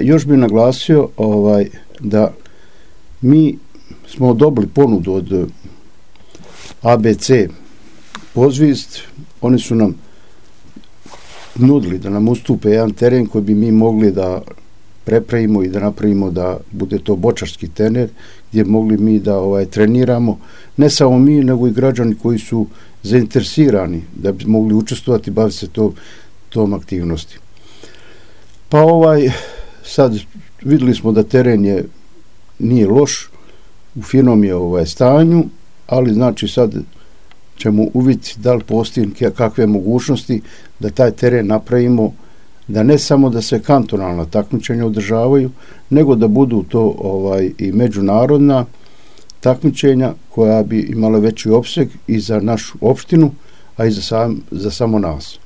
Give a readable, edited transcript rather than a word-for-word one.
Još bih naglasio da mi smo dobili ponudu od ABC Pozvist. Oni su nam nudili da nam ustupe jedan teren koji bi mi mogli da prepravimo i da napravimo da bude to bočarski teren gdje mogli mi da treniramo, ne samo mi nego i građani koji su zainteresirani da bi mogli učestvovati i baviti se tom aktivnosti. Pa sad vidjeli smo da teren nije loš, u finom je stanju, ali znači sad ćemo uvidjeti da li postoji kakve mogućnosti da taj teren napravimo, da ne samo da se kantonalna takmičenja održavaju, nego da budu to i međunarodna takmičenja koja bi imala veći opseg i za našu opštinu, a i za samo nas.